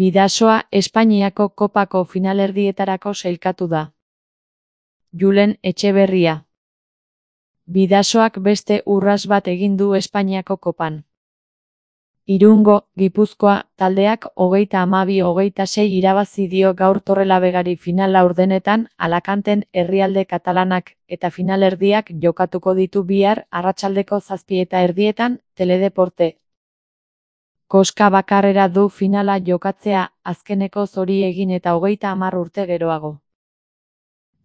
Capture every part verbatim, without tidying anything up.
Bidasoa Espainiako kopako finalerdietarako sailkatu da. Julen Etxeberria. Bidasoak beste urrats bat egin du Espainiako kopan. Irungo, Gipuzkoa, taldeak hogeita hamabi hogeita sei irabazi dio gaur Torrelavegari final laurdenetan, Alacanten herrialde katalanak, eta finalerdiak jokatuko ditu bihar arratsaldeko zazpi eta erdietan, Teledeporte. Koska bakarrera du finala jokatzea, azkeneko zori egin eta hogeita hamar urte geroago.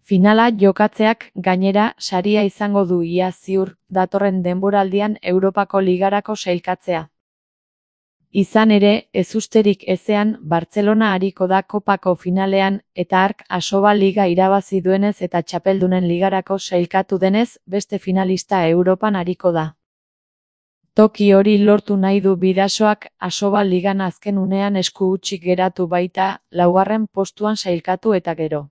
Finala jokatzeak, gainera, saria izango du ia ziur, datorren denboraldian Europako Ligarako sailkatzea. Izan ere, ezusterik ezean, Bartzelona ariko da kopako finalean, eta hark Asoba Liga irabazi duenez eta Txapeldunen Ligarako sailkatu denez, beste finalista Europan ariko da. Toki hori lortu nahi du Bidasoak, Asoba Ligan azken unean esku hutsik geratu baita, laugarren postuan sailkatu eta gero.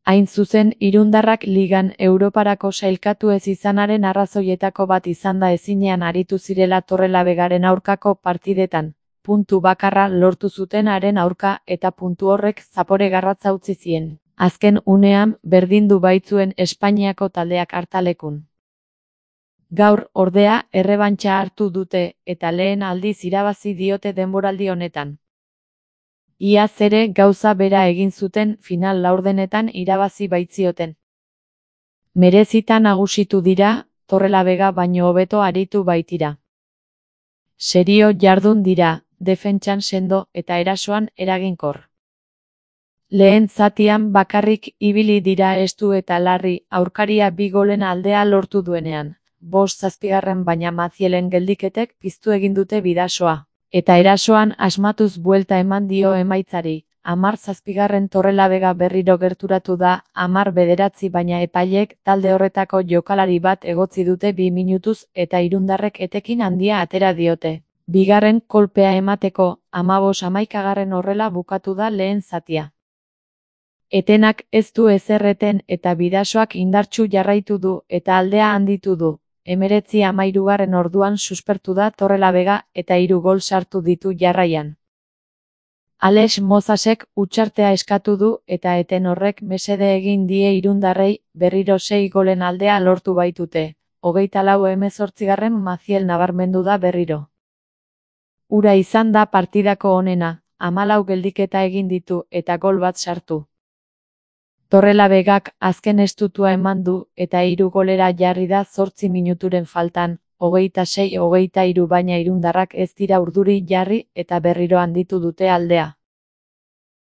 Hain zuzen, irundarrak Ligan Europarako sailkatu ez izanaren arrazoietako bat izan da ezinean aritu zirela Torrelavegaren aurkako partidetan, puntu bakarra lortu zutenaren aurka eta puntu horrek zapore garratza utzi zien. Azken unean, berdindu baitzuen Espainiako taldeak hartalekun. Gaur, ordea, errebantxa hartu dute, eta lehen aldiz irabazi diote denboraldi honetan. Iaz ere gauza bera egin zuten final laurdenetan irabazi baitzioten. Merezita nagusitu dira, Torrelavega baino hobeto aritu baitira. Serio jardun dira, defentsan sendo eta erasoan eraginkor. Lehen zatian bakarrik ibili dira estu eta larri, aurkaria bi golen aldea lortu duenean. Bost zazpigarren baina Mazielen geldiketek piztu egin dute Bidasoa. Eta erasoan asmatuz buelta eman dio emaitzari, hamar zazpigarren Torrelavega berriro gerturatu da, hamar bederatzi baina epailek talde horretako jokalari bat egotzi dute bi minutuz eta irundarrek etekin handia atera diote. Bigarren kolpea emateko, hamabos hamaikagarren horrela bukatu da lehen zatia. Etenak ez du ezerreten eta Bidasoak indartsu jarraitu du eta aldea handitu du. Hemeretzi hamahirugarren orduan suspertu da Torrelavega eta hiru gol sartu ditu jarraian. Alex Mozasek hutsartea eskatu du eta eten horrek mesede egin die irundarrei, berriro sei golen aldea lortu baitute. Hogeita lau hemezortzigarren Maziel nabarmendu da berriro. Ura izan da partidako onena, hamalau geldiketa egin ditu eta gol bat sartu. Torrelavegak azken estutua eman du eta hiru golera jarri da zortzi minuturen faltan, hogeita sei hogeita hiru baina irundarrak ez dira urduri jarri eta berriro handitu dute aldea.